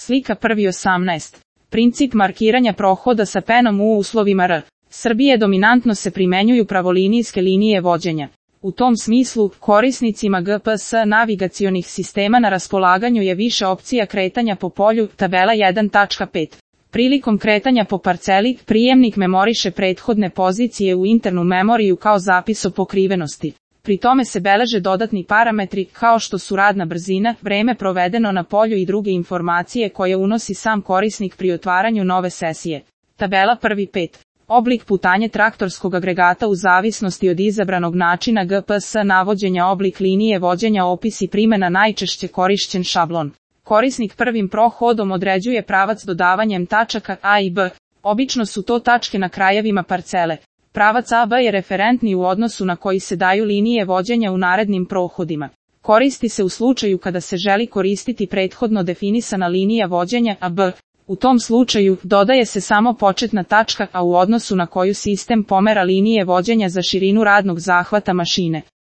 Slika 1.18. Princip markiranja prohoda sa penom u uslovima R. Srbije dominantno se primenjuju pravolinijske linije vođenja. U tom smislu, korisnicima GPS navigacionih sistema na raspolaganju je više opcija kretanja po polju, tabela 1.5. Prilikom kretanja po parceli, prijemnik memoriše prethodne pozicije u internu memoriju kao zapis o pokrivenosti. Pri tome se beleže dodatni parametri, kao što su radna brzina, vreme provedeno na polju i druge informacije koje unosi sam korisnik pri otvaranju nove sesije. Tabela 1.5. Oblik putanje traktorskog agregata u zavisnosti od izabranog načina GPS navođenja, oblik linije vođenja, opis i primjena, najčešće korišćen šablon. Korisnik prvim prohodom određuje pravac dodavanjem tačaka A i B. Obično su to tačke na krajevima parcele. Pravac AB je referentni u odnosu na koji se daju linije vođenja u narednim prohodima. Koristi se u slučaju kada se želi koristiti prethodno definisana linija vođenja AB. U tom slučaju, dodaje se samo početna tačka A u odnosu na koju sistem pomera linije vođenja za širinu radnog zahvata mašine.